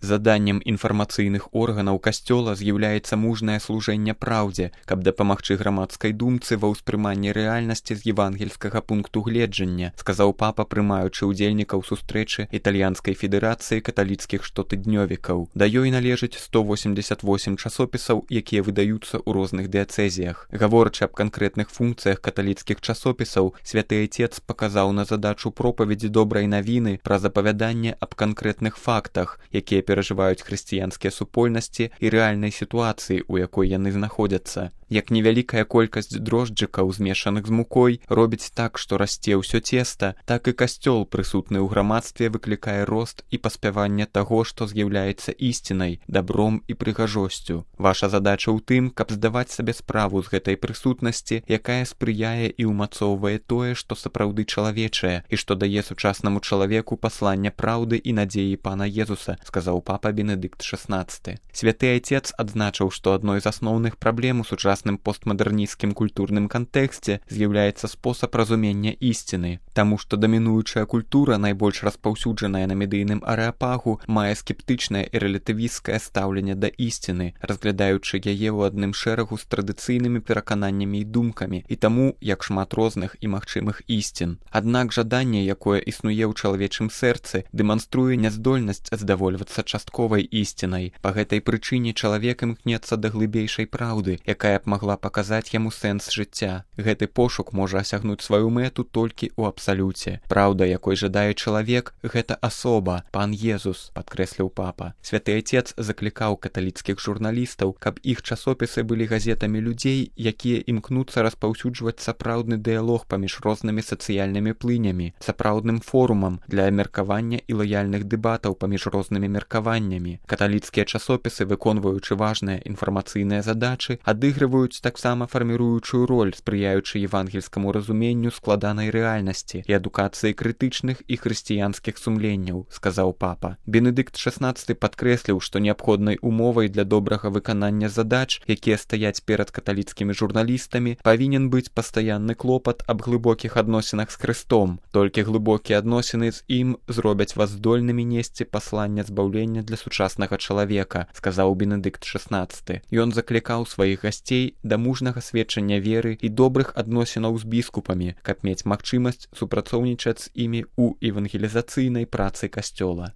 Заданнем інфармацыйных органаў касцёла з'яўляецца мужнае служэнне праўдзе, каб дапамагчы грамадскай думцы ва ўспрыманні рэальнасці з евангельскага пункту гледжання, сказаў папа, прымаючы ўдзельнікаў сустрэчы італьянскай федэрацыі каталіцкіх штотыднёвікаў. Да ёй належыць 188 часопісаў, якія выдаюцца ў розных дыяцэзіях. Гаворачы аб канкрэтных функцыях каталіцкіх часопісаў, святы Айцец паказаў на задачу пропаведзі добрай навіны праз апавяданне аб канкрэтных фактах, якія перажываюць хрысціянскія супольнасці і рэальнай сітуацыі, у якой яны знаходзяцца. Як невялікая колькасць дрожджыкаў, змешаных з мукой, робіць так, што расце ўсё цеста, так і касцёл, прысутны ў грамадстве, выклікае рост і паспяванне таго, што з'яўляецца ісцінай, дабром і прыгажосцю. Ваша задача ў тым, каб здаваць сабе справу з гэтай прысутнасці, якая спрыяе і ўмацоўвае тое, што сапраўды чалавечае, і што дае сучаснаму чалавеку паслання праўды і надзеі Пана Езуса, сказаў папа Бенедыкт XVI. Святы Айцец адзначыў, што адной з асноўных праблем у сучасным постмадэрнісцкім культурным кантэксце з'яўляецца спосаб разумення ісціны, таму што дамінуючая культура, найбольш распаўсюджаная на медыйным арэапагу, мае скептычнае і рэлятывісцкае стаўленне да ісціны, разглядаючы яе ў адным шэрагу з традыцыйнымі перакананнямі і думкамі, і таму, як шмат розных і магчымых ісцін. Аднак жаданне, якое існуе ў чалавечым сэрцы, дэманструе няздольнасць здавольвацца частковай ісцінай. Па гэтай прычыне чалавек імкнецца да глыбейшай праўды, якая б магла паказаць яму сэнс жыцця. Гэты пошук можа асягнуць сваю мэту толькі ў абсалюце. Праўда, якой жадае чалавек, гэта асоба, Пан Езус, падкрэсліў папа. Святы Айцец заклікаў каталіцкіх журналістаў, каб іх часопісы былі газетамі людзей, якія імкнуцца распаўсюджваць сапраўдны дыялог паміж рознымі сацыяльнымі плынямі, сапраўдным форумам для меркавання і лаяльных дэбатаў паміж рознымі меркаваннямі. Каталіцкія часопісы, выконваючы важныя інфармацыйныя задачы, адыгрываюць таксама фарміруючую роль, спрыяючы евангельскаму разуменню складанай рэальнасці і адукацыі крытычных і хрысціянскіх сумленняў, сказаў папа. Бенедыкт XVI падкрэсліў, што неабходнай умовай для добрага выканання задач, якія стаяць перад каталіцкімі журналістамі, павінен быць пастаянны клопат аб глыбокіх адносінах з Хрыстом. Толькі глыбокія адносіны з ім зробяць вас здольнымі несці паслання збаўлення для сучаснага чалавека, сказаў Бенедыкт XVI. Ён заклікаў сваіх гасцей да мужнага сведчання веры і добрых адносінаў з біскупамі, каб мець магчымасць супрацоўнічаць з імі ў евангелізацыйнай працы касцёла.